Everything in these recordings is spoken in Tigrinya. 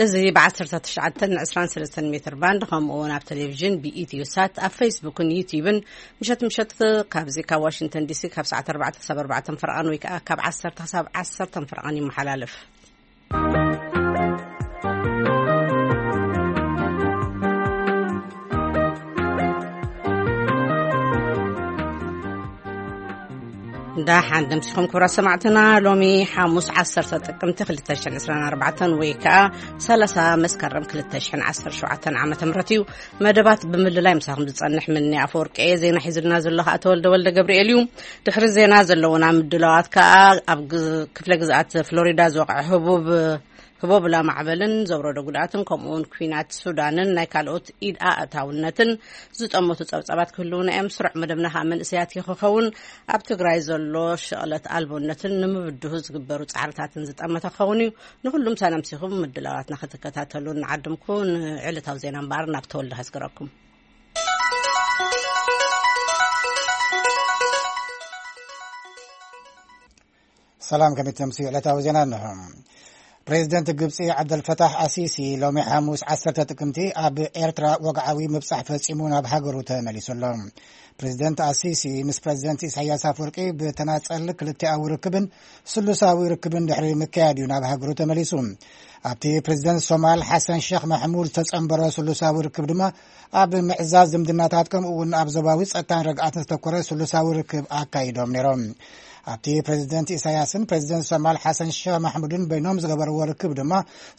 እዚ ብ19 ን23 ሜትር ባንድ፣ ከምኡ እውን ኣብ ቴሌቪዥን ብኢትዮ ሳት፣ ኣብ ፌስቡክን ዩቲዩብን፣ ምሸት ምሸት ካብዚ ካብ ዋሽንግተን ዲሲ ካብ ሰዓት ኣርባዕተ ክሳብ ኣርባዕተ ፈረቓን ወይ ከዓ ካብ ዓሰርተ ክሳብ ዓሰርተ ፈረቓን ይመሓላለፍ። እንዳ ሓንደምሲኹም ክቡራት ሰማዕትና፣ ሎሚ ሓሙስ ዓሰርተ ጥቅምቲ ክልተ ሽሕን ዕስራን ኣርባዕተን ወይ ከዓ ሰላሳ መስከረም ክልተ ሽሕን ዓሰርተ ሸውዓተን ዓመተ ምህረት እዩ። መደባት ብምልላይ ምሳኹም ዝጸንሕ ምኒ ኣፈወርቂ እየ። ዜና ሒዝልና ዘሎ ከዓ ተወልደ ወልደ ገብርኤል እዩ። ድሕሪ ዜና ዘለውና ምድላዋት ከዓ ኣብ ግ-፣ ክፍለ ግዝኣት ፍሎሪዳ ዝወቕዐ ህቡብ ህቦብላ ማዕበልን ዘውረዶ ጉድኣትን፣ ከምኡ እውን ኲናት ሱዳንን ናይ ካልኦት ኢድ ኣእታውነትን ዝጠመቱ ጸብጻባት ክህልውና እዮም። ስሩዕ መደብና ከዓ መንእሰያት ይክኸውን ኣብ ትግራይ ዘሎ ሸቕለት ኣልቦነትን ንምብድሁ ዝግበሩ ጻዕርታትን ዝጠመተ ክኸውን እዩ። ንኹሉም ሳነምሲኹም ምድላዋትና ክትከታተሉ እናዓደምኩ፣ ንዕለታዊ ዜና እምበኣር ናብ ተወልደ ከስግረኩም። ሰላም፣ ከመይ ትምስዩ? ዕለታዊ ዜና እንሆ። ፕሬዚደንት ግብፂ ዓብደልፈታሕ ኣሲሲ ሎሚ ሓሙስ ዓሰርተ ጥቅምቲ ኣብ ኤርትራ ወግዓዊ ምብፃሕ ፈፂሙ ናብ ሃገሩ ተመሊሱ ኣሎ። ፕሬዚደንት ኣሲሲ ምስ ፕሬዚደንት ኢሳያስ ኣፈወርቂ ብተናፀል ክልቲኣዊ ርክብን ስሉሳዊ ርክብን ድሕሪ ምክያድ እዩ ናብ ሃገሩ ተመሊሱ። ኣብቲ ፕሬዚደንት ሶማል ሓሰን ሸኽ ማሕሙድ ዝተፀንበረ ስሉሳዊ ርክብ ድማ ኣብ ምዕዛዝ ዝምድናታት ከምኡ እውን ኣብ ዞባዊ ፀጥታን ርግኣትን ዝተኮረ ስሉሳዊ ርክብ ኣካይዶም ነይሮም። ኣብቲ ፕሬዚደንት ኢሳያስን ፕሬዚደንት ሶማል ሓሰን ሸኽ ማሕሙድን በይኖም ዝገበርዎ ርክብ ድማ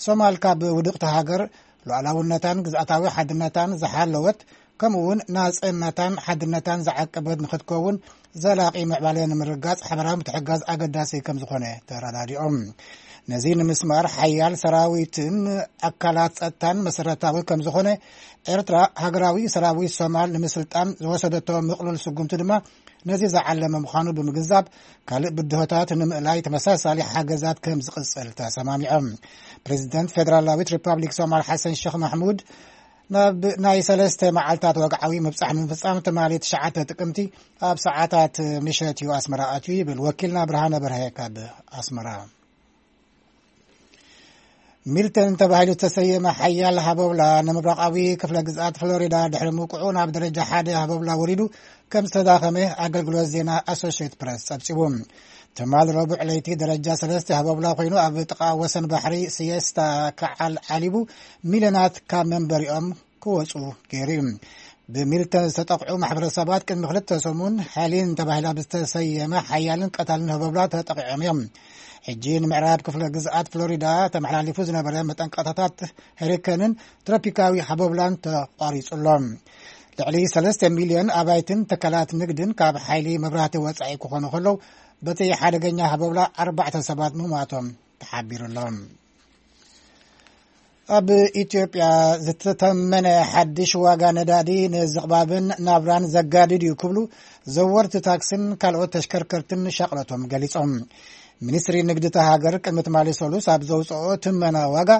ሶማል ካብ ውድቕቲ ሃገር ሉዓላውነታን ግዝኣታዊ ሓድነታን ዝሓለወት ከምኡ እውን ናጽነታን ሓድነታን ዝዓቀበት ንክትከውን ዘላቒ ምዕባለ ንምርጋጽ ሓበራዊ ምትሕጋዝ ኣገዳሲ ከም ዝኾነ ተረዳዲኦም። ነዚ ንምስማር ሓያል ሰራዊትን ኣካላት ጸጥታን መሰረታዊ ከም ዝኾነ፣ ኤርትራ ሃገራዊ ሰራዊት ሶማል ንምስልጣን ዝወሰደቶ ምቕሉል ስጉምቲ ድማ ነዚ ዝዓለመ ምዃኑ ብምግንዛብ፣ ካልእ ብድሆታት ንምእላይ ተመሳሳሊ ሓገዛት ከም ዝቕጽል ተሰማሚዖም። ፕሬዚደንት ፌደራላዊት ሪፓብሊክ ሶማል ሓሰን ሸኽ ማሕሙድ፣ ናብ ናይ ሰለስተ መዓልታት ወግዓዊ ምብጻሕ ንምፍጻም ትማሊ ትሽዓተ ጥቅምቲ ኣብ ሰዓታት ምሸት እዩ ኣስመራ ኣትዩ ይብል ወኪልና ብርሃነ በርሀ ካብ ኣስመራ። ሚልተን ተባሂሉ ዝተሰየመ ሓያል ሃበብላ ንምብራቓዊ ክፍለ ግዝኣት ፍሎሪዳ ድሕሪ ምውቅዑ ናብ ደረጃ ሓደ ሃበብላ ወሪዱ ከም ዝተዳኸመ ኣገልግሎት ዜና ኣሶሽየት ፕረስ ጸብጺቡ። ትማል ረቡዕ ለይቲ ደረጃ ሰለስተ ሃበብላ ኮይኑ ኣብ ጥቓ ወሰን ባሕሪ ሲየስታ ክዓል ዓሊቡ ሚልዮናት ካብ መንበሪኦም ክወጹ ገይሩ እዩ። ብሚልተን ዝተጠቕዑ ማሕበረሰባት ቅድሚ ክልተ ሰሙን ሄሊን ተባሂላ ብዝተሰየመ ሓያልን ቀታልን ሃበብላ ተጠቒዖም እዮም። ሕጂ ንምዕራብ ክፍለ ግዝኣት ፍሎሪዳ ተመሓላሊፉ ዝነበረ መጠንቀቕታታት ሄሪከንን ትሮፒካዊ ሃበብላን ተቋሪጹ ኣሎ። ልዕሊ ሰለስተ ሚልዮን ኣባይትን ትካላት ንግድን ካብ ሓይሊ መብራህቲ ወጻኢ ክኾኑ ከለዉ፣ በቲ ሓደገኛ ሃበብላ ኣርባዕተ ሰባት ምሟቶም ተሓቢሩ ኣሎ። ኣብ ኢትዮጵያ ዝተተመነ ሓድሽ ዋጋ ነዳዲ ንዝቕባብን ናብራን ዘጋድድ እዩ ክብሉ ዘወርቲ ታክስን ካልኦት ተሽከርከርትን ሻቕለቶም ገሊጾም። ሚኒስትሪ ንግዲ እታ ሃገር ቅድሚ ትማሊ ሰሉስ ኣብ ዘውፅኦ ትመና ዋጋ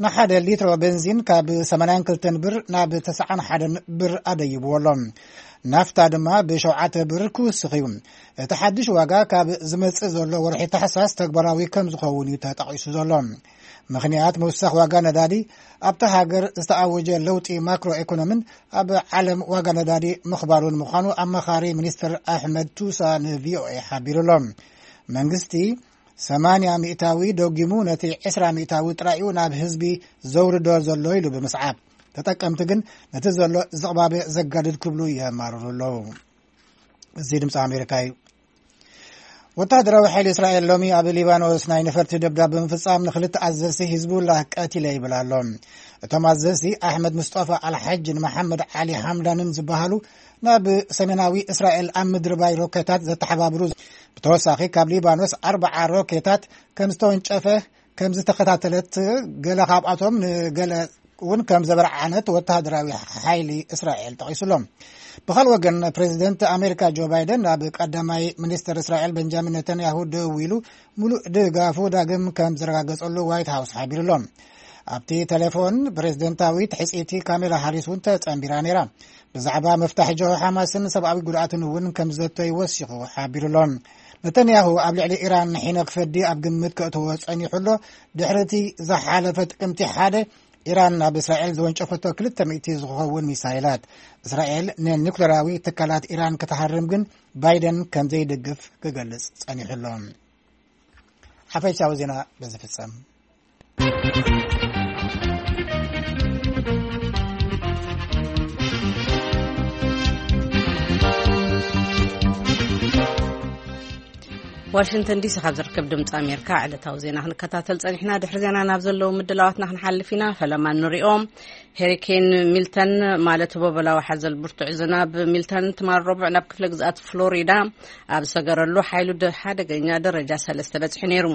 ንሓደ ሊትሮ ቤንዚን ካብ ሰማንያን ክልተን ብር ናብ ተስዓን ሓደን ብር ኣደይብዎ ኣሎ። ናፍታ ድማ ብሸውዓተ ብር ክውስኽ እዩ። እቲ ሓድሽ ዋጋ ካብ ዝመጽእ ዘሎ ወርሒ ታሕሳስ ተግባራዊ ከም ዝኸውን እዩ ተጠቒሱ ዘሎ። ምኽንያት ምውሳኽ ዋጋ ነዳዲ ኣብታ ሃገር ዝተኣወጀ ለውጢ ማክሮ ኢኮኖምን ኣብ ዓለም ዋጋ ነዳዲ ምኽባሩን ምዃኑ ኣማኻሪ ሚኒስትር ኣሕመድ ቱሳ ንቪኦኤ ሓቢሩ ኣሎ። መንግስቲ ሰማንያ ሚእታዊ ደጊሙ ነቲ ዕስራ ሚእታዊ ጥራይ እዩ ናብ ህዝቢ ዘውርዶ ዘሎ ኢሉ ብምስዓብ፣ ተጠቀምቲ ግን ነቲ ዘሎ ዝቕባበ ዘጋድድ ክብሉ የማርሩ ኣለዉ። እዚ ድምፂ ኣሜሪካ እዩ። ወተሃደራዊ ሓይሊ እስራኤል ሎሚ ኣብ ሊባኖስ ናይ ነፈርቲ ደብዳብ ብምፍጻም ንክልተ ኣዘዝቲ ሂዝቡላህ ቀቲለ ይብል ኣሎ። እቶም ኣዘዝቲ ኣሕመድ ሙስጠፋ ኣልሓጅን መሓመድ ዓሊ ሓምዳንን ዝበሃሉ ናብ ሰሜናዊ እስራኤል ኣብ ምድሪ ባይ ሮኬታት ዘተሓባብሩ፣ ብተወሳኺ ካብ ሊባኖስ ኣርባዓ ሮኬታት ከም ዝተወንጨፈ ከም ዝተኸታተለት፣ ገለ ካብኣቶም ንገለ እውን ከም ዘበርዓነት ወተሃደራዊ ሓይሊ እስራኤል ጠቒሱ ኣሎ። ብኻልእ ወገን፣ ፕሬዚደንት ኣሜሪካ ጆ ባይደን ናብ ቀዳማይ ሚኒስትር እስራኤል ቤንጃሚን ነተንያሁ ደዊሉ፣ ሙሉእ ድጋፉ ዳግም ከም ዘረጋገጸሉ ዋይት ሃውስ ሓቢሩ ኣሎ። ኣብቲ ቴሌፎን፣ ፕሬዚደንታዊት ሕጽይቲ ካሜላ ሃሪስ እውን ተጸንቢራ ነይራ። ብዛዕባ ምፍታሕ ጀብሃ ሓማስን ሰብኣዊ ጉድኣትን እውን ከም ዘተዩ ወሲኹ ሓቢሩ ኣሎ። ነተንያሁ ኣብ ልዕሊ ኢራን ንሒነ ክፈዲ ኣብ ግምት ከእትዎ ጸኒሑ ኣሎ። ድሕሪ እቲ ዝሓለፈ ጥቅምቲ ሓደ፣ ኢራን ናብ እስራኤል ዝወንጨፈቶ ክልተ ሚእቲ ዝኸውን ሚሳይላት። እስራኤል ንኒኩሌራዊ ትካላት ኢራን ክትሃርም ግን ባይደን ከም ዘይድግፍ ክገልጽ ጸኒሑ ኣሎ። ሓፈሻዊ ዜና በዚ ፍጸም። ዋሽንግተን ዲሲ ካብ ዝርከብ ድምፂ ኣሜሪካ ዕለታዊ ዜና ክንከታተል ጸኒሕና። ድሕሪ ዜና ናብ ዘለዉ ምድላዋትና ክንሓልፍ ኢና። ፈለማ ንሪኦም። ሄሪኬን ሚልተን ማለት ህቦበላዊ ሓዘል ብርቱዕ ዝናብ ሚልተን ትማል ረቡዕ ናብ ክፍለ ግዝኣት ፍሎሪዳ ኣብ ሰገረሉ ሓይሉ ደ-፣ ሓደገኛ ደረጃ ሰለስተ በፂሑ ነይሩ።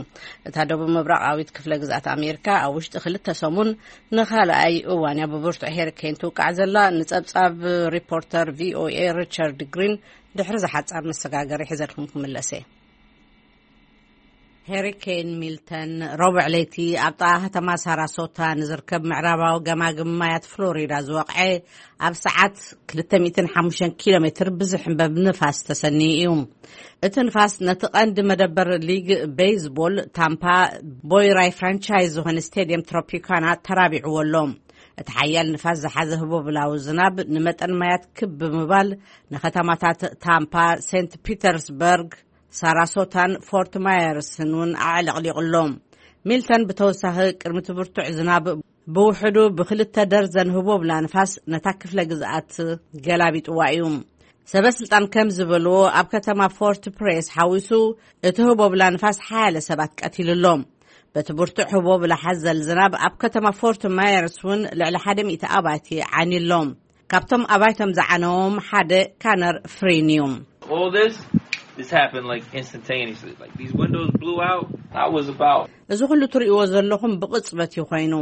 እታ ደቡብ ምብራቓዊት ክፍለ ግዝኣት ኣሜሪካ ኣብ ውሽጢ ክልተ ሰሙን ንኻልኣይ እዋን እያ ብብርቱዕ ሄሪኬን ትውቃዕ ዘላ። ንጸብጻብ ሪፖርተር ቪ ኦ ኤ ሪቻርድ ግሪን ድሕሪ ዝሓጻር መሰጋገሪ ሒዘልኩም ክምለስ እየ። ሄሪኬን ሚልተን ረቡዕ ለይቲ ኣብ ጥቓ ከተማ ሳራሶታ ንዝርከብ ምዕራባዊ ገማግም ማያት ፍሎሪዳ ዝወቕዐ፣ ኣብ ሰዓት ክልተ ሚእትን ሓሙሽተን ኪሎ ሜትር ብዝሕንበብ ንፋስ ተሰንዩ እዩ። እቲ ንፋስ ነቲ ቀንዲ መደበር ሊግ ቤይዝቦል ታምፓ ቦይ ራይ ፍራንቻይዝ ዝኾነ ስቴድየም ትሮፒካና ተራቢዕዎ ኣሎ። እቲ ሓያል ንፋስ ዝሓዘ ህቦብላዊ ዝናብ ንመጠን ማያት ክብ ብምባል ንከተማታት ታምፓ፣ ሴንት ፒተርስበርግ፣ ሳራሶታን ፎርት ማየርስን እውን ኣዕለቕሊቑ ኣሎ። ሚልተን ብተወሳኺ ቅድሚ እቲ ብርቱዕ ዝናብ ብውሕዱ ብክልተ ደርዘን ህቦብላ ንፋስ ነታ ክፍለ ግዝኣት ገላቢጥዋ እዩ። ሰበ ስልጣን ከም ዝበልዎ ኣብ ከተማ ፎርት ፕሬስ ሓዊሱ እቲ ህቦብላ ንፋስ ሓያለ ሰባት ቀቲሉ ኣሎ። በቲ ብርቱዕ ህቦብላ ሓዘል ዝናብ ኣብ ከተማ ፎርት ማየርስ እውን ልዕሊ ሓደ ሚእቲ ኣባይቲ ዓንዩ ኣሎ። ካብቶም ኣባይቶም ዝዓነዎም ሓደ ካነር ፍሪን እዩ። All this, this happened like instantaneously. Like these windows blew out. I was about እዚ ኩሉ ትርእይዎ ዘለኹም ብቕጽበት እዩ ኮይኑ።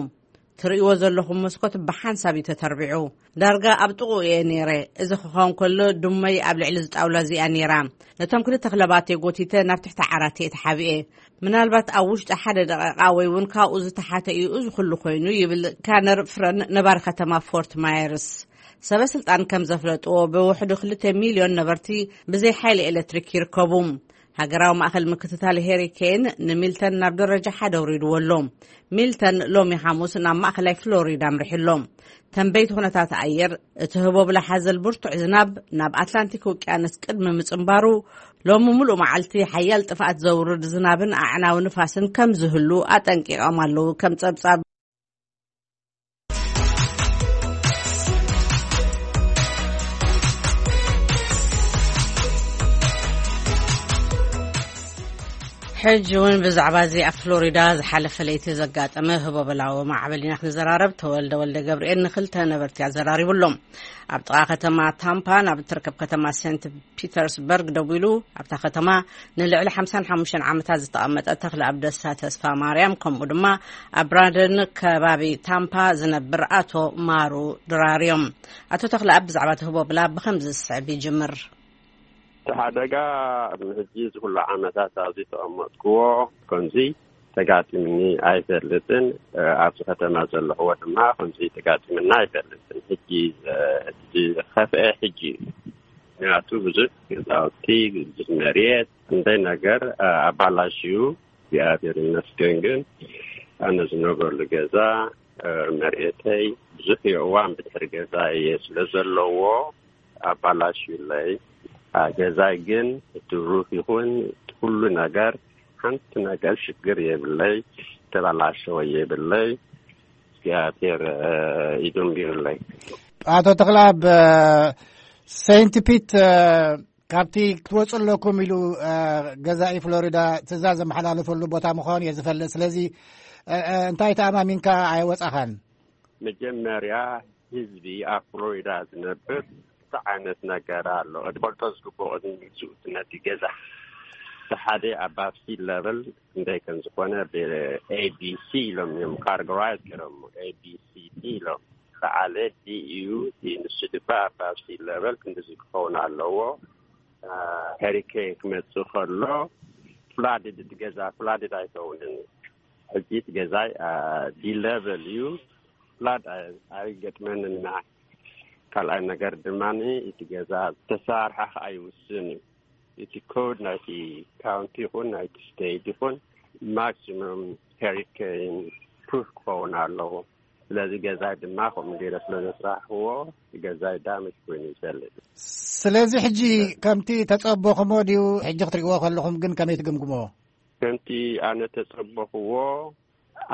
ትርእይዎ ዘለኹም መስኮት ብሓንሳብ እዩ ተተርቢዑ። ዳርጋ ኣብ ጥቕኡ እየ ነይረ። እዚ ክኸውን ከሎ ድመይ ኣብ ልዕሊ ዝጣውላ እዚኣ ነይራ። ነቶም ክልተ ክለባተይ ጎቲተ ናብ ትሕቲ ዓራት እየ ተሓቢኤ። ምናልባት ኣብ ውሽጢ ሓደ ደቂቃ ወይ እውን ካብኡ ዝተሓተ እዩ እዚ ኩሉ ኮይኑ፣ ይብል ካነር ፍረን ነባሪ ከተማ ፎርት ማየርስ። ሰበ ስልጣን ከም ዘፍለጥዎ ብውሕዱ ክልተ ሚልዮን ነበርቲ ብዘይ ሓይሊ ኤሌክትሪክ ይርከቡ። ሃገራዊ ማእከል ምክትታል ሄሪኬን ንሚልተን ናብ ደረጃ ሓደ ኣውሪድዎ ኣሎ። ሚልተን ሎሚ ሓሙስ ናብ ማእከላይ ፍሎሪዳ ኣምሪሑ ኣሎ። ተንበይቲ ኩነታት ኣየር እቲ ህቦብላ ሓዘል ብርቱዕ ዝናብ ናብ ኣትላንቲክ ውቅያኖስ ቅድሚ ምጽንባሩ ሎሚ ሙሉእ መዓልቲ ሓያል ጥፍኣት ዘውርድ ዝናብን ኣዕናዊ ንፋስን ከም ዝህሉ ኣጠንቂቖም ኣለዉ። ከም ጸብጻብ ሕጂ እውን ብዛዕባ እዚ ኣብ ፍሎሪዳ ዝሓለፈ ለይቲ ዘጋጠመ ህቦበላዊ ማዕበል ኢና ክንዘራረብ። ተወልደ ወልደ ገብርኤል ንክልተ ነበርቲ ኣዘራሪቡ ኣሎ። ኣብ ጥቓ ከተማ ታምፓ ናብ እትርከብ ከተማ ሴንት ፒተርስበርግ ደዊሉ ኣብታ ከተማ ንልዕሊ ሓምሳን ሓሙሽተን ዓመታት ዝተቐመጠ ተኽለ ኣብ ደስታ ተስፋ ማርያም፣ ከምኡ ድማ ኣብ ብራደን ከባቢ ታምፓ ዝነብር ኣቶ ማሩ ድራር እዮም። ኣቶ ተኽለ ኣብ ብዛዕባ እቲ ህቦብላ ብኸምዚ ዝስዕብ ይጅምር። እቲ ሓደጋ ሕጂ እዚ ኩሉ ዓመታት ኣብዚ ተቐመጥክዎ ከምዚ ተጋጢምኒ ኣይፈልጥን። ኣብዚ ከተማ ዘለኽዎ ድማ ከምዚ ተጋጢምና ኣይፈልጥን። ሕጂ፣ እ፣ እቲ ዝኸፍአ ሕጂ እዩ። ምክንያቱ ብዙሕ ገዛውቲ፣ ብዙሕ መሬት፣ ክንደይ ነገር፣ እ፣ ኣባላሽዩ። እግዚኣብሔር ይመስገን ግን ኣነ ዝነብረሉ ገዛ፣ እ፣ መሬተይ ብዙሕ የእዋን ብድሕሪ ገዛ እየ ስለ ዘለዎ ኣባላሽዩለይ። እ፣ ገዛይ ግን እቲ ሩፍ ይኹን ኩሉ ነገር ሓንቲ ነገር ሽግር የብለይ፣ ተባላሸወ የብለይ። እግዚኣብሔር፣ እ፣ ኢዱ እምቢሩለይ። ኣቶ ተኽለኣብ፣ እ፣ ሴንት ፒት፣ እ፣ ካብቲ ክትወፁ ኣለኩም ኢሉ፣ እ፣ ገዛኢ ፍሎሪዳ ትእዛዝ ዘመሓላለፈሉ ቦታ ምዃኑ እየ ዝፈልጥ። ስለዚ፣ እ፣ እ፣ እንታይ ተኣማሚንካ ኣይወፃኻን? መጀመርያ ህዝቢ ኣብ ፍሎሪዳ ዝነብር እንታይ ዓይነት ነገር ኣሎ? ክትፈልጦ ዝግብኦ ቅድሚ ምግዝኡ ነቲ ገዛ። እቲ ሓደ ኣባብ ሲ ለቨል ክንደይ ከም ዝኾነ ብ ኤ ቢ ሲ ኢሎም እዮም ካርጎራይዝ ገይሮም፣ ኤ ቢ ሲ ዲ ኢሎም። ዝዓለ ዲ እዩ፣ እቲ ንሱ ድማ ኣባብ ሲ ለቨል ክንድዚ ክኸውን ኣለዎ። አ፣ ሄሪኬን ክመጽእ ከሎ ፍላድድ፣ እቲ ገዛ ፍላድድ ኣይከውንን። ሕጂ እቲ ገዛይ፣ አ፣ ዲ ለቨል እዩ፣ ፍላድ ኣይ-፣ ኣይገጥመንን። ካልኣይ ነገር ድማ እቲ ገዛ ዝተሰርሐ ከኣ ይውስን እዩ። እቲ ኮድ ናይቲ ካውንቲ ይኹን ናይቲ ስቴት ይኹን ማክሲሙም ሄሪኬን ፕሩፍ ክኸውን ኣለዎ። ስለዚ ገዛይ ድማ ከምኡ ገይረ ስለ ዘስራሕዎ፣ ገዛይ ዳሜጅ ኮይኑ ይፈልጥ። ስለዚ ሕጂ ከምቲ ተጸበኹሞ ድዩ? ሕጂ ክትርእይዎ ከለኹም ግን ከመይ ትግምግሞ? ከምቲ ኣነ ተጸበኽዎ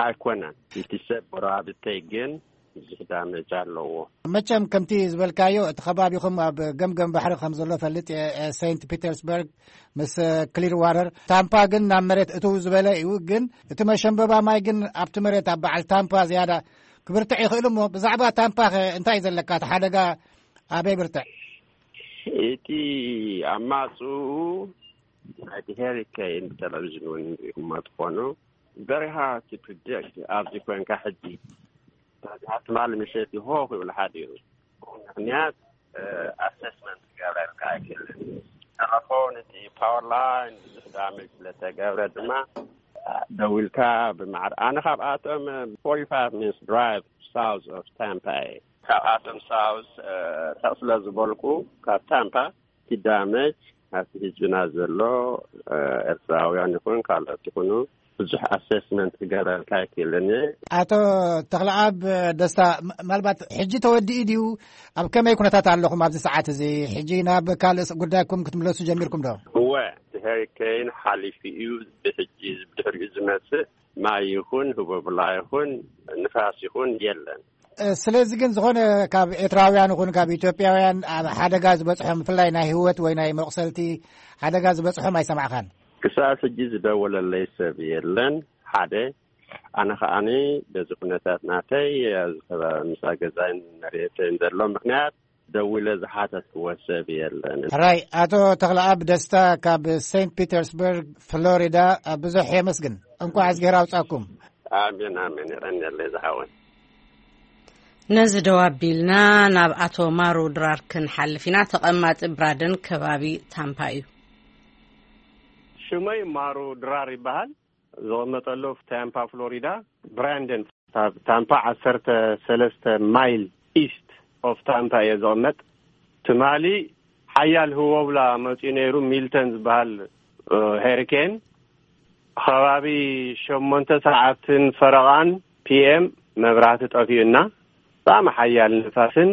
ኣይኮነን። እቲ ሰብ ጎረባብተይ ግን ብዙሕ ዳሜጅ ኣለዎ። መቸም ከምቲ ዝበልካዮ፣ እቲ ከባቢኹም ኣብ ገምገም ባሕሪ ከም ዘሎ ፈልጥ እየ። ሴንት ፒተርስበርግ ምስ ክሊር ዋተር፣ ታምፓ ግን ናብ መሬት እትው ዝበለ እዩ። ግን እቲ መሸንበባ ማይ ግን ኣብቲ መሬት ኣብ በዓል ታምፓ ዝያዳ ክብርትዕ ይኽእል እሞ፣ ብዛዕባ ታምፓ ኸ እንታይ እዩ ዘለካ? እቲ ሓደጋ ኣበይ ብርትዕ? እቲ ኣማጽኡ ናይቲ ሄሪኬን ብቴሌቪዥን እውን ሪኢኹሞ ትኾኑ። Very hard to predict ኣብዚ ኮንካ ሕጂ። ትማሊ ምሸት ይሆ ክብል ሓዲሩ። ምኽንያት ኣሰስመንት ክገብረልካ ኣይክእልን። ተለፎን እቲ ፓወር ላይን ብዙሕ ዳሜጅ ስለተገብረ ድማ ደዊልካ ብማዕረ፣ ኣነ ካብኣቶም forty-five minutes drive south of Tampa እየ። ካብኣቶም ሳውዝ ርሕቕ ስለ ዝበልኩ ካብ ታምፓ እቲ ዳሜጅ ኣብቲ ህዝብና ዘሎ ኤርትራውያን ይኹን ካልኦት ይኹኑ ብዙሕ ኣሰስመንት ክገብረልካ ኣይክእልን እየ። ኣቶ ተኽለኣብ ደስታ፣ ም- ምናልባት ሕጂ ተወዲኡ ድዩ? ኣብ ከመይ ኩነታት ኣለኹም ኣብዚ ሰዓት እዚ? ሕጂ ናብ ካልእ ስ- ጉዳይኩም ክትምለሱ ጀሚርኩም ዶ? እወ፣ እቲ ሄሪኬን ሓሊፉ እዩ። ብሕጂ ብድሕሪኡ ዝመጽእ ማይ ይኹን ህቦብላ ይኹን ንፋስ ይኹን የለን። እ፣ ስለዚ ግን ዝኾነ ካብ ኤርትራውያን ይኹን ካብ ኢትዮጵያውያን ኣብ ሓደጋ ዝበጽሖም፣ ብፍላይ ናይ ህይወት ወይ ናይ መቑሰልቲ ሓደጋ ዝበጽሖም ኣይሰማዕኻን? ክሳብ ሕጂ ዝደወለለይ ሰብ የለን። ሓደ፣ ኣነ ከዓኒ በዚ ኩነታት ናተይ ኣብዚ ከባቢ ምሳ ገዛይን መሬተይን ዘሎ ምኽንያት ደዊለ ዝሓተትክዎ ሰብ የለን። ሕራይ፣ ኣቶ ተኽለኣብ ደስታ ካብ ሴንት ፒተርስበርግ ፍሎሪዳ፣ ብዙሕ የመስግን። እንኳዕ እዝግሄር ኣውጻኩም። ኣሜን፣ ኣሜን። የቐንየለይ ዝሓወይ። ነዚ ደው ኣቢልና ናብ ኣቶ ማሩ ድራር ክንሓልፍ ኢና። ተቐማጢ ብራደን ከባቢ ታምፓ እዩ። ሽመይ ማሩ ድራር ይበሃል። ዝቕመጠሉ ታምፓ ፍሎሪዳ፣ ብራንደን። ካብ ታምፓ ዓሰርተ ሰለስተ ማይል ኢስት ኦፍ ታምፓ እየ ዝቕመጥ። ትማሊ ሓያል ህወብላ መፂኡ ነይሩ። ሚልተን ዝበሃል ሄሪኬን ከባቢ ሸሞንተ ሰዓትን ፈረቓን ፒኤም መብራህቲ ጠፊኡና። ብጣዕሚ ሓያል ንፋስን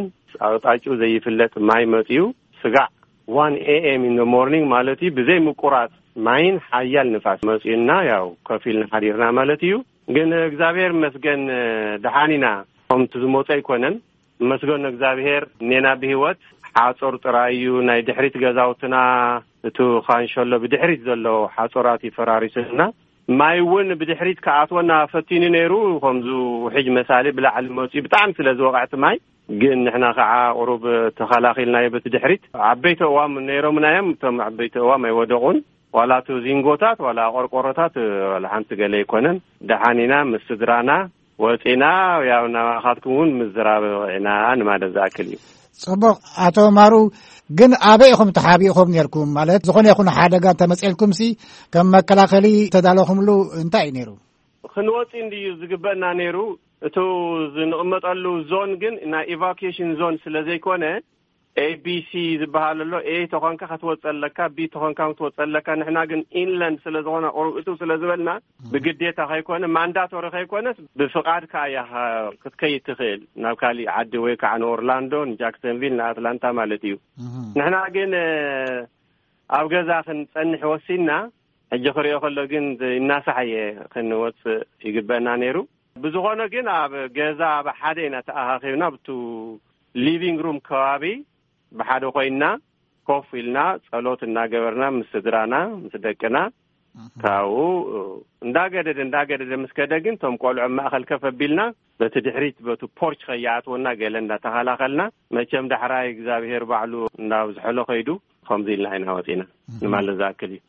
ኣቕጣጭኡ ዘይፍለጥ ማይ መፂኡ። ስጋዕ ዋን ኤ ኤም ኢን ሞርኒንግ ማለት እዩ። ብዘይ ምቁራፅ ማይን ሓያል ንፋስ መፂኡና፣ ያው ከፊልና ሓዲርና ማለት እዩ። ግን እግዚኣብሔር ይመስገን፣ ደሓን ኢና። ከምቲ ዝመፁ ኣይኮነን። መስገን እግዚኣብሔር፣ እኔና ብህይወት። ሓፁር ጥራይ እዩ ናይ ድሕሪት ገዛውትና፣ እቱ ካንሸሎ ብድሕሪት ዘሎ ሓፁራት ይፈራሪስና። ማይ እውን ብድሕሪት ክኣትወና ፈቲኑ ነይሩ። ከምዙ ውሕጅ መሳሊ ብላዕሊ መፂኡ ብጣዕሚ ስለ ዝወቕዐ እቲ ማይ፣ ግን ንሕና ከዓ ቁሩብ ተኸላኺልናዮ በቲ ድሕሪት። ዓበይቲ እዋም ነይሮምና እዮም። እቶም ዓበይቲ እዋም ኣይወደቑን። ዋላ እቲ ዚንጎታት ዋላ ቆርቆሮታት ዋላ ሓንቲ ገለ ኣይኮነን። ደሓን ኢና፣ ምስ ስድራና ወፂና፣ ያው ናባኻትኩም እውን ምዝራብ ኢና ንማለት ዝኣክል እዩ። ጽቡቕ። ኣቶ ማሩ፣ ግን ኣበይ ኢኹም ተሓቢእኹም ነርኩም? ማለት ዝኾነ ይኹን ሓደጋ እንተመፅኤልኩም ሲ ከም መከላኸሊ ተዳለኹምሉ እንታይ እዩ ነይሩ? ክንወፂ እንድዩ ዝግበእና ነይሩ። እቱ ዝንቕመጠሉ ዞን ግን ናይ ኢቫኩዌሽን ዞን ስለ ዘይኮነ፣ ኤ ቢ ሲ ዝበሃል ኣሎ። ኤ ተኾንካ ክትወፅእ ኣለካ፣ ቢ ተኾንካ ክትወፅእ ኣለካ። ንሕና ግን ኢንላንድ ስለ ዝኾነ፣ ቁሩብ እቱ ስለ ዝበልና፣ ብግዴታ ከይኮነ፣ ማንዳቶሪ ከይኮነስ፣ ብፍቓድካ እያ ክትከይድ ትኽእል ናብ ካሊእ ዓዲ፣ ወይ ከዓ ንኦርላንዶ፣ ንጃክሰንቪል፣ ንኣትላንታ ማለት እዩ። እህ። ንሕና ግን ኣብ ገዛ ክንጸንሕ ወሲንና። ሕጂ ክሪኦ ከሎ ግን እናሳሕየ ክንወጽእ ይግበእና ነይሩ። ብዝኾነ ግን ኣብ ገዛ ኣብ ሓደ ኢና ተኣኻኺብና። ብቱ ሊቪንግ ሩም ከባቢ ብሓደ ኮይንና ኮፍ ኢልና ጸሎት እናገበርና ምስ ስድራና ምስ ደቅና፣ ካብኡ እንዳገደደ እንዳገደደ ምስ ከደ ግን፣ ቶም ቆልዑ ኣብ ማእኸል ከፍ ኣቢልና፣ በቲ ድሕሪት በቱ ፖርች ከይኣትወና ገለ እንዳተኸላኸልና፣ መቸም ዳሕራይ እግዚኣብሄር ባዕሉ እንዳብዝሐሎ ከይዱ፣ ከምዚ ኢልና ኢና ወፂና ንማለት ዝኣክል እዩ።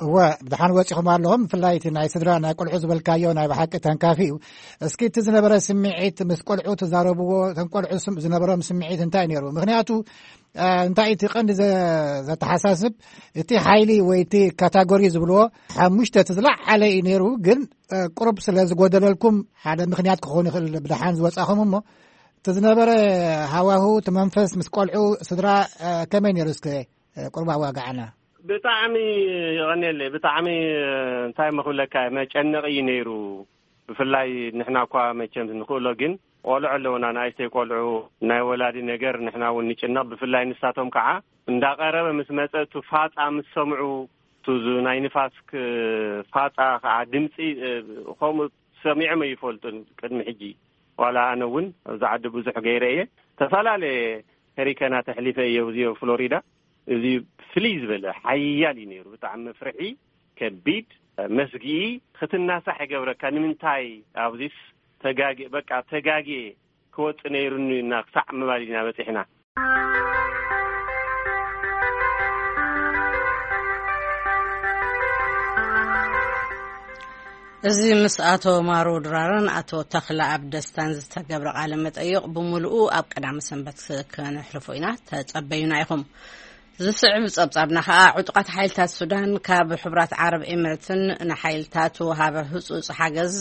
እወ፣ ብድሓን ወፂኹም ኣለኹም። ብፍላይ እቲ ናይ ስድራ ናይ ቆልዑ ዝበልካዮ ናይ ብሓቂ ተንካፊ እዩ። እስኪ እቲ ዝነበረ ስምዒት፣ ምስ ቆልዑ ትዛረብዎ፣ እተን ቆልዑ ስም- ዝነበሮም ስምዒት እንታይ ነይሩ? ምክንያቱ እንታይ እቲ ቀንዲ ዘ- ዘተሓሳስብ፣ እቲ ሓይሊ ወይ እቲ ካታጎሪ ዝብልዎ ሓሙሽተ እቲ ዝለዓለ እዩ ነይሩ። ግን ቁሩብ ስለ ዝጎደለልኩም ሓደ ምክንያት ክኸውን ይኽእል ብድሓን ዝወፃኹም። እሞ እቲ ዝነበረ ሃዋሁ፣ እቲ መንፈስ ምስ ቆልዑ ስድራ ከመይ ነይሩ? እስከ ቁሩብ ኣዋጋዕና። ብጣዕሚ ይቐንየለይ። ብጣዕሚ እንታይ መኽብለካ፣ መጨነቒ እዩ ነይሩ። ብፍላይ ንሕና እኳ መቸም ንኽእሎ፣ ግን ቆልዑ ኣለውና፣ ንኣሽተይ ቆልዑ፣ ናይ ወላዲ ነገር ንሕና እውን ንጭነቕ። ብፍላይ ንሳቶም ከዓ እንዳቐረበ ምስ መጸ፣ እቱ ፋጻ ምስ ሰምዑ፣ እቱ ዝ-፣ ናይ ንፋስ ክ-፣ ፋጻ ከዓ ድምፂ፣ እ፣ ከምኡ ሰሚዖም ኣይፈልጡን ቅድሚ ሕጂ። ዋላ ኣነ እውን ኣብዚ ዓዲ ብዙሕ ገይረ እየ። ተፈላለየ ሄሪከናት ኣሕሊፈ እየ፣ እዚ ፍሎሪዳ። እዚ ፍልይ ዝበለ ሓያል እዩ ነይሩ። ብጣዕሚ መፍርሒ፣ ከቢድ፣ መስግኢ፣ ክትናሳሕ ይገብረካ። ንምንታይ ኣብዚስ ተጋጌ-፣ በቃ ተጋጌ ክወጽእ ነይሩኒ እና ክሳዕ ምባል ኢና በጺሕና። እዚ ምስ ኣቶ ማሩ ድራርን ኣቶ ተኽለ ኣብ ደስታን ዝተገብረ ቃለ መጠይቕ ብምሉኡ ኣብ ቀዳሚ ሰንበት ከነሕልፎ ኢና። ተጸበዩና ኢኹም። ዝስዕብ ጸብጻብና ከኣ ዕጡቓት ሓይልታት ሱዳን ካብ ሕቡራት ዓረብ ኤምሬትን ንሓይልታት ወሃቢ ህጹጽ ሓገዝ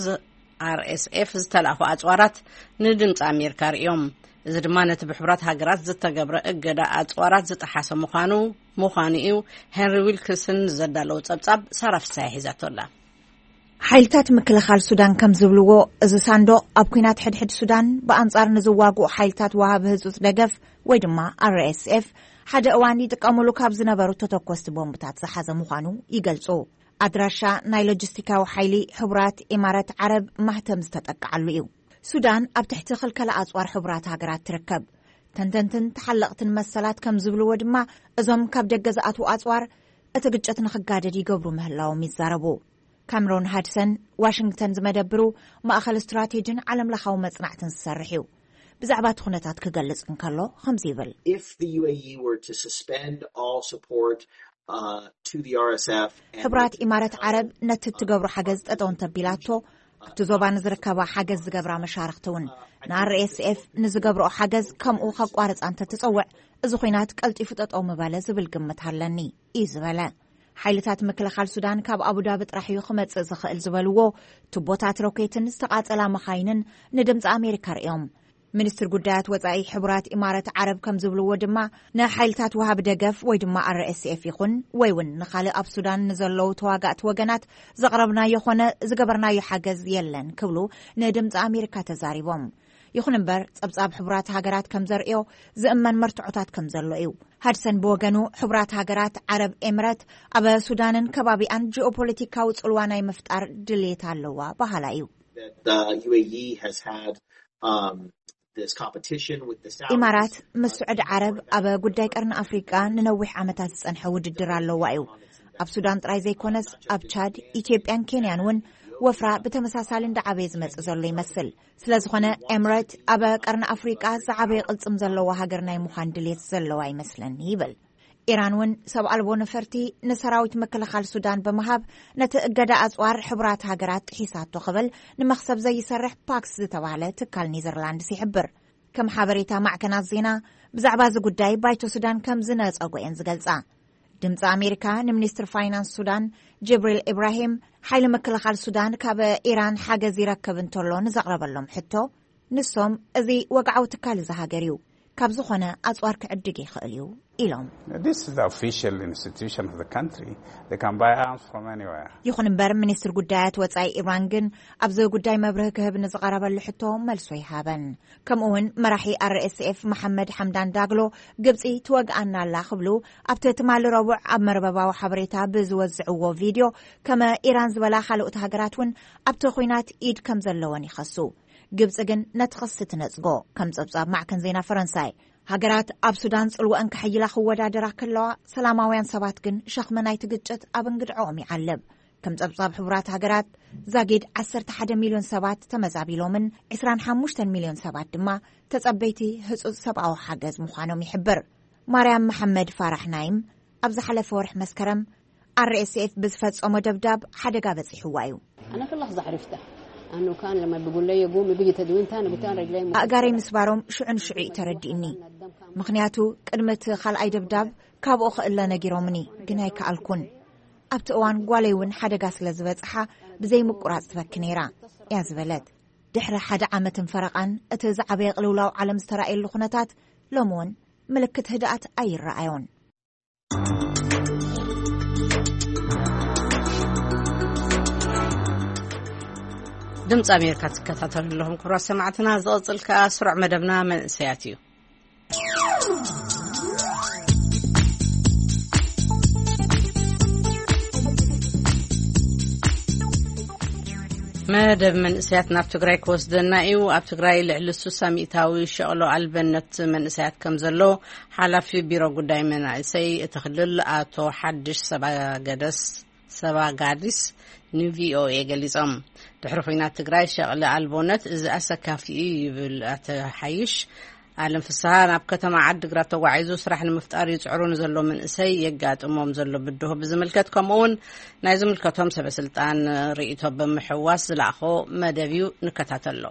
ኣር ኤስ ኤፍ ዝተላእኹ ኣጽዋራት ንድምፂ ኣሜሪካ ርእዮም። እዚ ድማ ነቲ ብሕቡራት ሃገራት ዝተገብረ እገዳ ኣጽዋራት ዝጠሓሰ ምዃኑ ምዃኑ እዩ። ሄንሪ ዊልክስን ዘዳለዉ ጸብጻብ ሳራ ፍሳሐ ሒዛቶ ኣላ። ሓይልታት ምክልኻል ሱዳን ከም ዝብልዎ፣ እዚ ሳንዱቕ ኣብ ኲናት ሕድሕድ ሱዳን ብኣንጻር ንዝዋግኡ ሓይልታት ወሃቢ ህጹጽ ደገፍ ወይ ድማ ኣር ኤስ ኤፍ ሓደ እዋን ይጥቀሙሉ ካብ ዝነበሩ ተተኮስቲ ቦምብታት ዝሓዘ ምዃኑ ይገልጹ። ኣድራሻ ናይ ሎጂስቲካዊ ሓይሊ ሕቡራት ኢማራት ዓረብ ማህተም ዝተጠቅዓሉ እዩ። ሱዳን ኣብ ትሕቲ ክልከላ ኣጽዋር ሕቡራት ሃገራት ትርከብ። ተንተንትን ተሓለቕትን መሰላት ከም ዝብልዎ ድማ፣ እዞም ካብ ደገ ዝኣትዉ ኣጽዋር እቲ ግጭት ንኽጋደድ ይገብሩ ምህላዎም ይዛረቡ። ካምሮን ሃድሰን ዋሽንግተን ዝመደብሩ ማእኸል ስትራቴጂን ዓለምለኻዊ መጽናዕትን ዝሰርሕ እዩ። ብዛዕባ እቲ ኩነታት ክገልጽ እንከሎ ከምዚ ይብል። If the U A E were to suspend all support, uh, to the R S F and ሕቡራት ኢማራት ዓረብ ነቲ እትገብሮ ሓገዝ ጠጠው እንተቢላቶ፣ ኣብቲ ዞባ ንዝርከባ ሓገዝ ዝገብራ መሻርኽቲ እውን ንኣር ኤስ ኤፍ ንዝገብርኦ ሓገዝ ከምኡ ከቋርጻ እንተትጸውዕ፣ እዚ ኹናት ቀልጢፉ ጠጠው ምበለ ዝብል ግምት ኣለኒ እዩ ዝበለ። ሓይልታት ምክልኻል ሱዳን ካብ ኣቡዳቢ ጥራሕ እዩ ክመጽእ ዝኽእል ዝበልዎ ቱቦታት ሮኬትን ዝተቓጸላ መኻይንን ንድምፂ ኣሜሪካ ርእዮም። ሚኒስትር ጉዳያት ወጻኢ ሕቡራት ኢማረት ዓረብ ከም ዝብልዎ ድማ፣ ንሓይልታት ወሃቢ ደገፍ ወይ ድማ ኣር ኤስ ኤፍ ይኹን ወይ እውን ንኻልእ ኣብ ሱዳን ንዘለዉ ተዋጋእቲ ወገናት ዘቕረብናዮ ኾነ ዝገበርናዮ ሓገዝ የለን ክብሉ ንድምፂ ኣሜሪካ ተዛሪቦም። ይኹን እምበር፣ ጸብጻብ ሕቡራት ሃገራት ከም ዘርእዮ ዝእመን መርትዖታት ከም ዘሎ እዩ። ሃድሰን ብወገኑ፣ ሕቡራት ሃገራት ዓረብ ኤምረት ኣብ ሱዳንን ከባቢኣን ጂኦፖለቲካዊ ጽልዋ ናይ ምፍጣር ድሌት ኣለዋ በሃላ እዩ። That the U A E has had, um, this competition with the Saudi ኢማራት ምስ ስዑዲ ዓረብ ኣብ ጉዳይ ቀርኒ ኣፍሪቃ ንነዊሕ ዓመታት ዝጸንሐ ውድድር ኣለዋ እዩ። ኣብ ሱዳን ጥራይ ዘይኮነስ፣ ኣብ ቻድ፣ ኢትዮጵያን ኬንያን እውን ወፍራ ብተመሳሳሊ እንዳዓበየ ዝመጽእ ዘሎ ይመስል። ስለ ዝኾነ፣ ኤምረት ኣብ ቀርኒ ኣፍሪቃ ዝዓበየ ቅልጽም ዘለዋ ሃገር ናይ ምዃን ድሌት ዘለዋ ይመስለኒ ይብል። ኢራን እውን ሰብ ኣልቦ ነፈርቲ ንሰራዊት ምክልኻል ሱዳን ብምሃብ፣ ነቲ እገዳ ኣጽዋር ሕቡራት ሃገራት ጥሒሳቶ ክብል ንመኽሰብ ዘይሰርሕ ፓክስ ዝተባህለ ትካል ኔዘርላንድስ ይሕብር። ከም ሓበሬታ ማዕከናት ዜና፣ ብዛዕባ እዚ ጉዳይ ባይቶ ሱዳን ከም ዝነጸጎ እየን ዝገልጻ። ድምፂ ኣሜሪካ ንሚኒስትር ፋይናንስ ሱዳን ጅብሪል ኢብራሂም፣ ሓይሊ ምክልኻል ሱዳን ካብ ኢራን ሓገዝ ይረክብ እንተሎ ንዘቕረበሎም ሕቶ፣ ንሶም፣ እዚ ወግዓዊ ትካል እዚ ሃገር እዩ፣ ካብ ዝኾነ ኣጽዋር ክዕድግ ይኽእል እዩ ኢሎም። This is the official institution of the country. They can buy arms from anywhere. ይኹን እምበር፣ ሚኒስትር ጉዳያት ወጻኢ ኢራን ግን ኣብዚ ጉዳይ መብርሂ ክህብ ንዝቐረበሉ ሕቶ መልሶ ይሃበን። ከምኡ እውን መራሒ ኣር ኤስ ኤፍ መሓመድ ሓምዳን ዳግሎ፣ ግብጺ ትወግኣና ኣላ ክብሉ ኣብቲ ትማሊ ረቡዕ ኣብ መርበባዊ ሓበሬታ ብዝወዝዕዎ ቪድዮ፣ ከመ ኢራን ዝበላ ካልኦት ሃገራት እውን ኣብቲ ኲናት ኢድ ከም ዘለወን ይኸሱ። ግብጺ ግን ነቲ ክሲ ትነጽጎ። ከም ጸብጻብ ማዕከን ዜና ፈረንሳይ፣ ሃገራት ኣብ ሱዳን ጽልወአን ከሐይላ ክወዳደራ ከለዋ፣ ሰላማውያን ሰባት ግን ሸኽሚ ናይቲ ግጭት ኣብ እንግድዐኦም ይዓልብ። ከም ጸብጻብ ሕቡራት ሃገራት፣ ዛጊድ ዓሰርተ ሓደ ሚልዮን ሰባት ተመዛቢሎምን ዕስራን ሓሙሽተን ሚልዮን ሰባት ድማ ተጸበይቲ ህጹጽ ሰብኣዊ ሓገዝ ምዃኖም ይሕብር። ማርያም መሓመድ ፋራሕ ናይም ኣብ ዝሓለፈ ወርሒ መስከረም ኣር ኤስ ኤፍ ብዝፈጸሞ ደብዳብ ሓደጋ በጺሕዋ እዩ። أنا في لحظة عرفتها أنه كان لما بيقول لي قومي بيجي تدوين تاني قلت أنا رجلي م- ኣእጋረይ ምስባሮም ሽዑ ንሽዑ እዩ ተረዲእኒ። ምኽንያቱ ቅድሚ እቲ ካልኣይ ደብዳብ ካብኡ ክእለ ነጊሮምኒ፣ ግን ኣይከኣልኩን። ኣብቲ እዋን ጓለይ እውን ሓደጋ ስለ ዝበጽሓ ብዘይ ምቁራጽ ትበኪ ነይራ እያ ዝበለት። ድሕሪ ሓደ ዓመትን ፈረቓን እቲ ዝዓበየ ቅልውላው ዓለም ዝተራእየሉ ኩነታት ሎሚ እውን ምልክት ህድኣት ኣይረኣዮን። ድምፂ ኣሜሪካ ትከታተሉ ኣለኹም ክቡራት ሰማዕትና። ዝቐፅል ከኣ ስሩዕ መደብና መንእሰያት እዩ። መደብ መንእሰያት ናብ ትግራይ ክወስደና እዩ። ኣብ ትግራይ ልዕሊ ሱሳ ሚእታዊ ሸቕሎ ኣልበነት መንእሰያት ከም ዘሎ ሓላፊ ቢሮ ጉዳይ መናእሰይ እቲ ክልል ኣቶ ሓድሽ ሰባገደስ ሰባጋዲስ ንቪኦኤ ገሊጾም። ድሕሪ ኹናት ትግራይ ሸቕሊ ኣልቦነት እዚ ኣሰካፊ እዩ ይብል ኣቶ ሓይሽ። ኣለም ፍስሃ ናብ ከተማ ዓድግራት ተጓዒዙ ስራሕ ንምፍጣር ይጽዕሩ ንዘሎ መንእሰይ የጋጥሞም ዘሎ ብድሆ ብዝምልከት፣ ከምኡውን ናይ ዝምልከቶም ሰበ ስልጣን ርእይቶ ብምሕዋስ ዝለኣኾ መደብ እዩ። ንከታተሎ።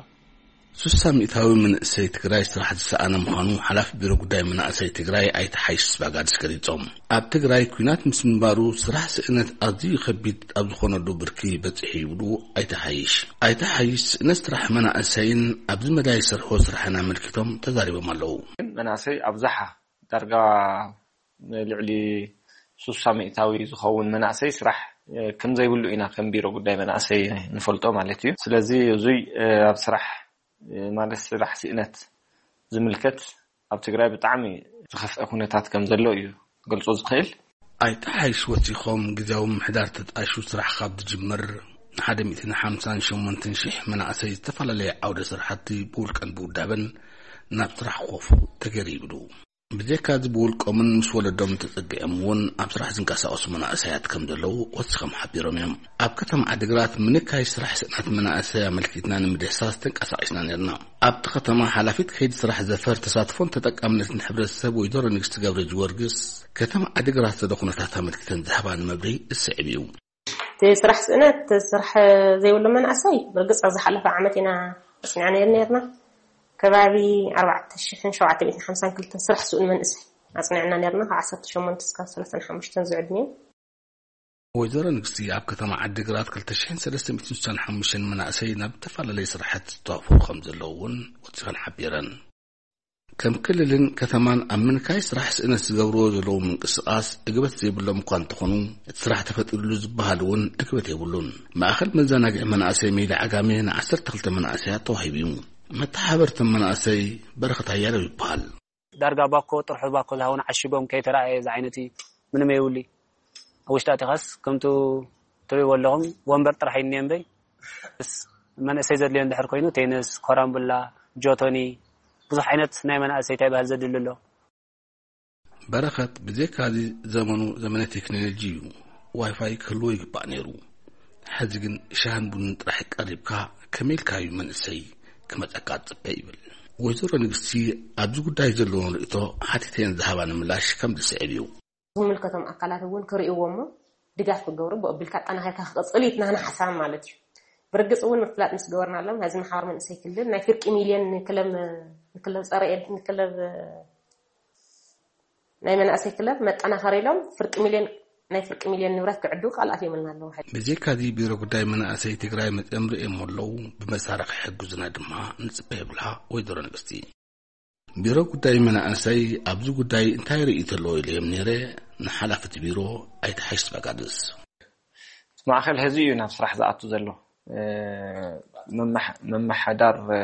ሱሳ ሚእታዊ መንእሰይ ትግራይ ስራሕ ዝሰኣነ ምዃኑ ሓላፊ ቢሮ ጉዳይ መናእሰይ ትግራይ ኣይተ ሓይሽ ስባጋድስ ገሊጾም። ኣብ ትግራይ ኲናት ምስ ምንባሩ ስራሕ ስእነት ኣዝዩ ከቢድ ኣብ ዝኾነሉ ብርኪ በጺሑ ይብሉ ኣይተ ሓይሽ። ኣይተ ሓይሽ ስእነት ስራሕ መናእሰይን ኣብዚ መዳይ ዝሰርሖ ስራሕን ኣመልኪቶም ተዛሪቦም ኣለዉ። ግን መናእሰይ ኣብዝሓ ዳርጋ ንልዕሊ ሱሳ ሚእታዊ ዝኸውን መናእሰይ ስራሕ ከም ዘይብሉ ኢና ከም ቢሮ ጉዳይ መናእሰይ ንፈልጦ ማለት እዩ። ስለዚ እዙይ ኣብ ስራሕ ማለት ስራሕ ስእነት ዝምልከት ኣብ ትግራይ ብጣዕሚ ዝኸፍአ ኩነታት ከም ዘሎ እዩ ገልጾ ዝኽእል። ኣይተ ሓይሽ ወሲኾም ግዜያዊ ምሕዳር ተጣሹ ስራሕ ካብ ዝጅምር ንሓደ ሚእትን ሓምሳን ሸሞንተን ሽሕ መናእሰይ ዝተፈላለየ ዓውደ ስራሕቲ ብውልቀን ብውዳበን ናብ ስራሕ ክኸፉ ተገይሩ ይብሉ። ብዘይካዚ ብውልቆምን ምስ ወለዶም ተጸጊዖም እውን ኣብ ስራሕ ዝንቀሳቐሱ መናእሰያት ከም ዘለዉ ወሲኾም ሓቢሮም እዮም። ኣብ ከተማ ዓዲግራት ምንካይ ስራሕ ስእነት መናእሰይ ኣመልኪትና ንምድህሳስ ተንቀሳቒስና ነርና። ኣብቲ ከተማ ሓላፊት ከይዲ ስራሕ ዘፈር ተሳትፎን ተጠቃምነትን ሕብረተሰብ ወይዘሮ ንግስቲ ገብረ ጊዮርጊስ ከተማ ዓዲግራት ዘሎ ኩነታት ኣመልኪተን ዝሃባን መብርሂ ዝስዕብ እዩ። እቲ ስራሕ ስእነት ስራሕ ዘይብሉ መናእሰይ ብርግጽ ኣብ ዝሓለፈ ዓመት ኢና ኣጽኒዕና ነርና። ከባቢ ኣርባዕተ ሽሕን ሸውዓተ ሚእትን ሓምሳን ክልተን ስራሕ ስኡን መንእሰይ ኣጽኒዕና ነርና። ካብ ዓሰርተ ሸሞንተ እስካብ ሰላሳን ሓሙሽተን ዝዕድሚኡ። ወይዘሮ ንግስቲ ኣብ ከተማ ዓዲግራት ክልተ ሽሕን ሰለስተ ሚእትን ስሳን ሓሙሽተን መናእሰይ ናብ ዝተፈላለዩ ስራሓት ዝተዋፈሩ ከም ዘለዉ እውን ወሲኸን ሓቢረን። ከም ክልልን ከተማን ኣብ ምንካይ ስራሕ ስእነት ዝገብርዎ ዘለዉ ምንቅስቓስ እግበት ዘይብሎም እኳ እንተኾኑ፣ እቲ ስራሕ ተፈጢሩሉ ዝበሃል እውን እግበት የብሉን። ማእኸል መዘናግዒ መናእሰይ ሜዳ ዓጋመ ንዓሰርተ ክልተ መናእሰያት ተዋሂቡ እዩ። መተሓበርቶም መናእሰይ በረኸት ኣያለው ይበሃል። ዳርጋ ባኮ፣ ጥርሑ ባኮ ዝሃውን ዓሽጎም ከይተራእየ ዝዓይነቲ ምንም የብሉ። ኣብ ውሽጢ ኣቲኻስ ከምቱ ትርእይዎ ኣለኹም ወንበር ጥራሕ እዩ እኒኦ እምበይ። ስ-፣ መንእሰይ ዘድልዮ እንድሕር ኮይኑ ቴንስ፣ ኮራምቡላ፣ ጆቶኒ፣ ብዙሕ ዓይነት ናይ መናእሰይ እንታይ ባህል ዘድሊ ኣሎ። በረኸት ብዘይካዚ ዘመኑ ዘመነ ቴክኖሎጂ እዩ። ዋይፋይ ክህልዎ ይግባእ ነይሩ። ሕዚ ግን ሻህን ቡንን ጥራሕ ቀሪብካ ከመይ ኢልካ እዩ መንእሰይ ክመጸካ ትጽበ ይብል። ወይዘሮ ንግስቲ ኣብዚ ጉዳይ ዘለዎን ርእይቶ ሓቲተየን ዝሃባኒ ምላሽ ከም ዝስዕብ እዩ። ዝምልከቶም ኣካላት እውን ክርእይዎ እሞ ድጋፍ ክገብሩ ብኡ ኣቢልካ ኣጠናኺርካ ክቕጽል እዩ እቲ ናህና ሓሳብ ማለት እዩ። ብርግጽ እውን ምፍላጥ ምስ ገበርናሎም ናይዚ ማሕበር መንእሰይ ክልል ናይ ፍርቂ ሚልዮን ንክለብ ንክለብ ጸረ ኤድ ንክለብ ናይ መናእሰይ ክለብ መጠናኸሪ ኢሎም ፍርቂ ሚልዮን ናይ ፍርቂ ሚልዮን ንብረት ክዕድው ቃል ኣትዮምልና ኣለዉ። ብዘይካዚ ቢሮ ጉዳይ መናእሰይ ትግራይ መፅኦም ርእዮም ኣለዉ። ብመሳርሒ ሕግዙና ድማ ንፅበ ይብላ ወይዘሮ ንግስቲ። ቢሮ ጉዳይ መናእሰይ ኣብዚ ጉዳይ እንታይ ርእይቶ ኣለዎ ኢለዮም ነይረ። ንሓላፍቲ ቢሮ ኣይተሓይሽ በጋድስ። ማእኸል ህዚ እዩ ናብ ስራሕ ዝኣቱ ዘሎ። እ፣ ምምሕ-፣ ምምሕዳር፣ እ፣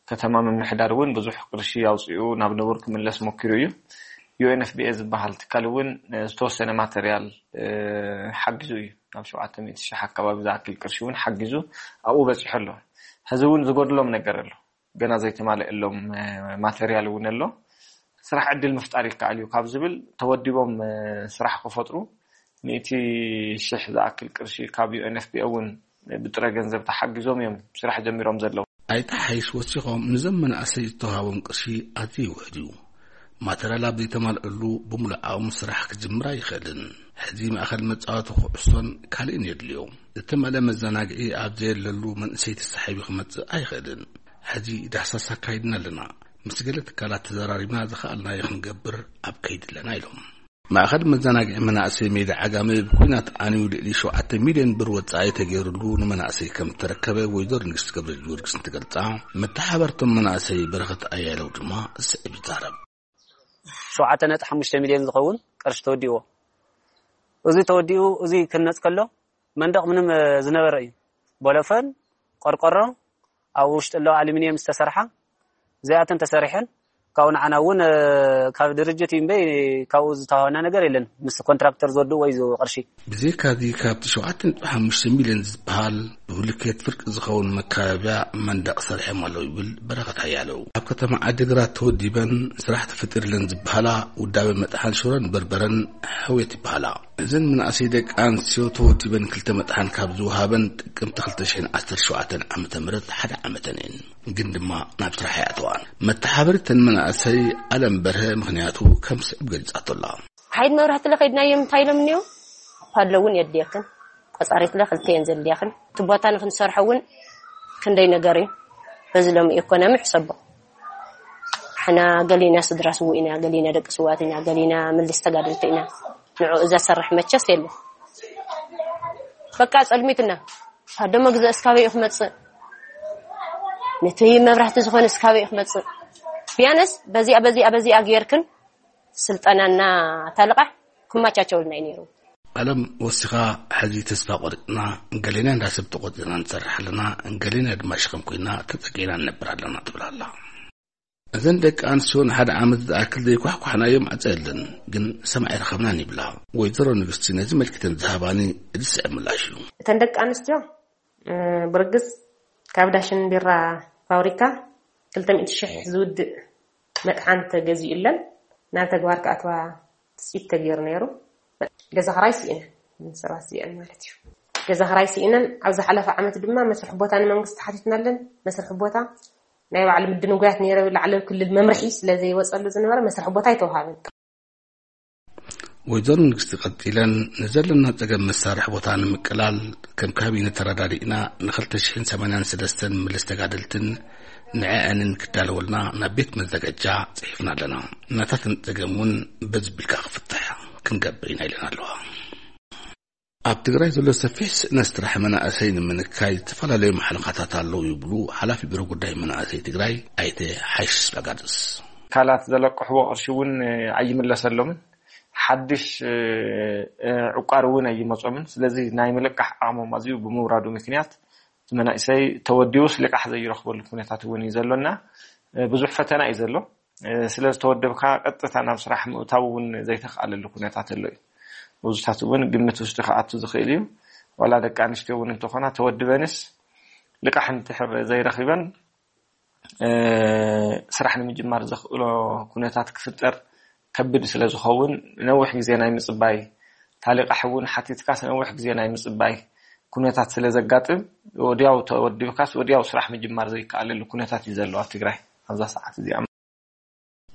ከተማ ምምሕዳር እውን ብዙሕ ቅርሺ ኣውፂኡ ናብ ንቡር ክምለስ ሞኪሩ እዩ። ዩ ኤን ኤፍ ቢ ኤ ዝበሃል ትካል እውን፣ እ፣ ዝተወሰነ ማተርያል፣ እ፣ ሓጊዙ እዩ። ናብ ሸውዓተ ሚእቲ ሺሕ ኣካባቢ ዝኣክል ቅርሺ እውን ሓጊዙ ኣብኡ በፂሑ ኣሎ። ህዚ እውን ዝጎድሎም ነገር ኣሎ። ገና ዘይተማልአሎም፣ እ፣ ማተርያል እውን ኣሎ። ስራሕ ዕድል ምፍጣር ይከኣል እዩ ካብ ዝብል ተወዲቦም፣ እ፣ ስራሕ ክፈጥሩ ሚእቲ ሽሕ ዝኣክል ቅርሺ ካብ ዩ ኤን ኤፍ ፒ ኦ እውን ብጥረ ገንዘብ ተሓጊዞም እዮም ስራሕ ጀሚሮም ዘለዉ። ኣይተ ሓይሽ ወሲኾም፣ ንዞም መናእሰይ ዝተዋሃቦም ቅርሺ ኣዝዩ ውሑድ እዩ። ማተርያል ኣብ ዘይተማልአሉ ብምሉእ ዓቕሙ ስራሕ ክጅምር ኣይኽእልን። ሕዚ ማእኸል መጻወቲ ኩዕሶን ካልእን የድልዮ። ዝተመልአ መዘናግዒ ኣብ ዘየለሉ መንእሰይ ተሳሒቡ ክመጽእ ኣይኽእልን። ሕዚ ዳህሳስ ኣካይድና ኣለና። ምስ ገለ ትካላት ተዘራሪብና ዝኸኣልናዮ ክንገብር ኣብ ከይዲ ኣለና ኢሎም። ማእኸል መዘናግዒ መናእሰይ ሜዳ ዓጋመ ብኲናት ዓንዩ ልዕሊ ሸውዓተ ሚልዮን ብር ወጻኢ ተገይሩሉ ንመናእሰይ ከም እተረከበ ወይዘሮ ንግስቲ ገብረ ጊዮርጊስ እንትገልጻ፣ መተሓባርቶም መናእሰይ በረኸት ኣያለው ድማ ዝስዕብ ይዛረብ። ሸውዓተ ነጥቢ ሓሙሽተ ሚልዮን ዝኸውን ቅርሺ ተወዲእዎ። እዚ ተወዲኡ፣ እዚ ክነጽ ከሎ መንደቕ ምንም፣ እ፣ ዝነበረ እዩ። ቦሎፈን፣ ቆርቆሮ፣ ኣብ ውሽጢ ኣለዋ ኣሉሚንየም ዝተሰርሓ፣ እዚኣተን ተሰሪሐን። ካብኡ ንዓና እውን ካብ ድርጅት እዩ እምበይ ካብኡ ዝተዋህበና ነገር የለን፣ ምስ ኮንትራክተር ዝወድኡ ወይ ዝህቡ ቅርሺ። ብዘይካዚ ካብቲ ሸውዓተ ነጥቢ ሓሙሽተ ሚልዮን ዝበሃል ብብሉኬት ፍርቂ ዝኸውን መካበቢያ መንደቕ ሰሪሖም ኣለዉ ይብል በረኸት ሓያለው። ኣብ ከተማ ዓዲግራት ተወዲበን ስራሕ ተፈጢርለን ዝበሃላ ውዳበ መጥሓን ሽሮን በርበረን ሕውየት ይበሃላ። እዘን መናእሰይ ደቂ ኣንስትዮ ተወዲበን ክልተ መጥሓን ካብ ዝወሃበን ጥቅምቲ ክልተ ሽሕን ዓሰርተ ሸውዓተን ዓመተ ምህረት ሓደ ዓመተን እየን። ግን ድማ ናብ ስራሕ ኣይኣተዋን። መተሓበሪተን መናእሰይ ኣለም በርሀ ምኽንያቱ ከም ስዕብ ገሊጻቶ ኣላ። ሓይድ መብራህቲ ለኸይድናዮም እንታይ ኢሎም እኒኦ? ፓሎ እውን የድልየክን፣ ቆጻሪት ለ ክልተ እየን ዘድልያክን። እቲ ቦታ ንክንሰርሖ እውን ክንደይ ነገር እዩ። በዚ ሎም ኢኮኖሚ ሕሰቦ። ሕና ገሊና ስድራ ስውእ ኢና፣ ገሊና ደቂ ስዋት ኢና፣ ገሊና ምልስ ተጋደልቲ ኢና። ንዑ እዛ ሰርሕ መቸስ የለ። በቃ ጸልሚትና። ፓሎ መግዛእስ ካበይ እዩ ክመጽእ? ነቲ መብራህቲ ዝኾነስ ካበይ እዩ ክመጽእ? ቢያነስ በዚኣ፣ በዚኣ፣ በዚኣ ጌርክን ስልጠናና ታልቓሕ ክመቻቸውልና እዩ ነይሩ። ኣለም ወሲኻ፣ ሕዚ ተስፋ ቆሪጽና፣ ገሌና እንዳ ሰብ ተቆጺርና ንሰርሕ ኣለና፣ ገሌና ድማ ሽኸም ኮይና ተጸጊዕና ንነብር ኣለና ትብል ኣላ። እዘን ደቂ ኣንስትዮ ንሓደ ዓመት ዝኣክል ዘይኳሕኳሕናዮም ማዕጾ የለን፣ ግን ሰማዒ ረኸብናን ይብላ። ወይዘሮ ንግስቲ ነዚ መልኪተን ዝሃባኒ እዚ ስዕብ ምላሽ እዩ። እተን ደቂ ኣንስትዮ፣ እ፣ ብርግጽ ካብ ዳሽን ቢራ ፋብሪካ ክልተ ሚእቲ ሽሕ ዝውድእ መጥሓን ተገዚኡለን ናብ ተግባር ክኣትዋ ትጽቢት ተገይሩ ነይሩ። ገዛ ክራይ ስኢነን፣ ሰባት እዚኣን ማለት እዩ። ገዛ ክራይ ስኢነን፣ ኣብ ዝሓለፈ ዓመት ድማ መስርሒ ቦታ ንመንግስቲ ሓቲትናለን። መስርሒ ቦታ ናይ ባዕሉ ምድንጓያት ነይረ፣ ላዕለዊ ክልል መምርሒ ስለ ዘይወጸሉ ዝነበረ መስርሒ ቦታ ኣይተዋሃበን። ወይዘሮ ንግስቲ ቀጺለን፣ ንዘለና ጸገም መሳርሒ ቦታ ንምቅላል ከም ካቢነ ተረዳዲእና ንክልተ ሽሕን ሰማንያን ሰለስተን ምልስ ተጋደልትን ንዕአንን ክዳለወልና ናብ ቤት መዘጋጃ ጽሒፍና ኣለና። ናታተን ጸገም እውን በዚ ቢልካ ክፍትሕ ክንገብር ኢና ኢለን ኣለዋ። ኣብ ትግራይ ዘሎ ሰፊሕ ስእነት ስራሕ መናእሰይ ንምንካይ ዝተፈላለዩ ማሕለኻታት ኣለዉ ይብሉ ሓላፊ ቢሮ ጉዳይ መናእሰይ ትግራይ ኣይተ ሓይሽ ስጳጋድስ። ትካላት ዘለቅሕዎ ቅርሺ እውን ኣይምለሰሎምን፣ ሓድሽ፣ እ፣ እ፣ ዕቋር እውን ኣይመጾምን። ስለዚ ናይ ምልቃሕ ዓቕሞም ኣዝዩ ብምውራዱ ምክንያት እቲ መናእሰይ ተወዲቡስ ልቃሕ ዘይረኽበሉ ኩነታት እውን እዩ ዘሎና። እ፣ ብዙሕ ፈተና እዩ ዘሎ። እ፣ ስለ ዝተወደብካ ቀጥታ ናብ ስራሕ ምእታው እውን ዘይተኽኣለሉ ኩነታት ኣሎ እዩ። ብዙታት እውን ግምት ውሽጢ ክኣቱ ዝኽእል እዩ። ዋላ ደቂ ኣንስትዮ እውን እንተኾና ተወድበንስ ልቃሕ እንድሕር ዘይረኺበን፣ እ፣ ስራሕ ንምጅማር ዘኽእሎ ኩነታት ክፍጠር ከቢድ ስለ ዝኸውን ነዊሕ ግዜ ናይ ምጽባይ፣ ታሊቃሕ እውን ሓቲትካስ ነዊሕ ግዜ ናይ ምጽባይ ኩነታት ስለ ዘጋጥም፣ ወዲያው ተወዲብካስ ወዲያው ስራሕ ምጅማር ዘይከኣለሉ ኩነታት እዩ ዘሎ ኣብ ትግራይ ኣብዛ ሰዓት እዚኣ።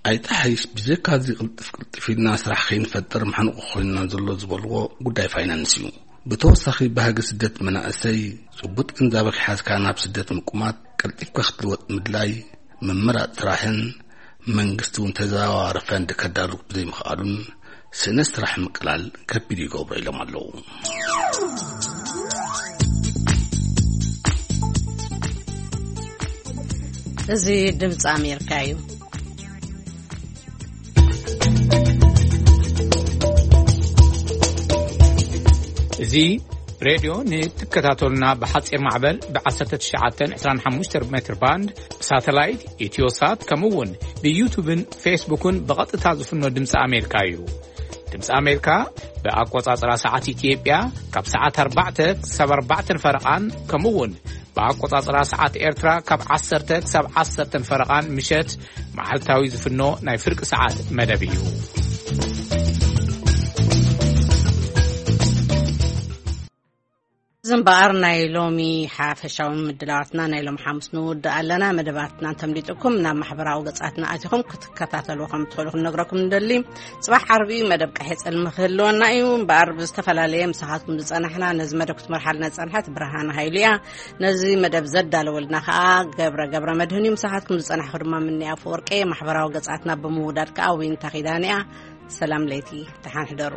ኣይተ ሓይሽ ብዘይካዚ ቅልጥፍ ቅልጥፍ ኢልና ስራሕ ከይንፈጥር ማሕንቆ ኮይንና ዘሎ ዝበልዎ ጉዳይ ፋይናንስ እዩ። ብተወሳኺ ባህጊ ስደት መናእሰይ ጽቡጥ ግንዛበ ክሓዝካ ናብ ስደት ምቁማት፣ ቀልጢፍካ ክትልወጥ ምድላይ፣ ምምራጽ ስራሕን መንግስቲ እውን ተዘዋዋሪ ፈንድ ከዳሉ ብዘይምኽኣሉን ስእነት ስራሕ ምቅላል ከቢድ ይገብሮ ኢሎም ኣለዉ። እዚ ድምፂ ኣሜሪካ እዩ። እዚ ሬድዮ ንትከታተሉና ብሓፂር ማዕበል ብ ትሽዓተ ዕስራን ሓሙሽተን ሜትር ባንድ ብሳተላይት ኢትዮሳት ከምኡ እውን ብዩቱብን ፌስቡክን ብቐጥታ ዝፍኖ ድምፂ ኣሜሪካ እዩ። ድምፂ ኣሜሪካ ብኣቆፃፅራ ሰዓት ኢትዮጵያ ካብ ሰዓት ኣርባዕተ ክሳብ ኣርባዕተን ፈረቓን ከምኡ እውን ብኣቆጻጽራ ሰዓት ኤርትራ ካብ ዓሰርተ ክሳብ ዓሰርተን ፈረቓን ምሸት መዓልታዊ ዝፍኖ ናይ ፍርቂ ሰዓት መደብ እዩ። እዚ እምበኣር ናይ ሎሚ ሓፈሻዊ ምድላዋትና ናይ ሎሚ ሓሙስ ንውድእ ኣለና። መደባትና እንተምሊጥኩም ናብ ማሕበራዊ ገጻትና ኣቲኹም ክትከታተልዎ ከም ትኽእሉ ክንነግረኩም ንደሊ። ጽባሕ ዓርቢ መደብ ቀይሕ ጽልሚ ክህልወና እዩ። እምበኣር ብዝተፈላለየ ምሳኻትኩም ዝጸናሕና፣ ነዚ መደብ ክትመርሓልና ዝጸንሐት ብርሃን ሃይሉ እያ። ነዚ መደብ ዘዳለወልና ከኣ ገብረ ገብረ መድህን እዩ። ምሳኻትኩም ዝጸናሕኩ ድማ ምንያ ኣፈወርቂ እየ። ማሕበራዊ ገጻትና ብምውዳድ ከኣ ዊንታ ኪዳነ እያ። ሰላም ለይቲ፣ ደሓን ሕደሩ።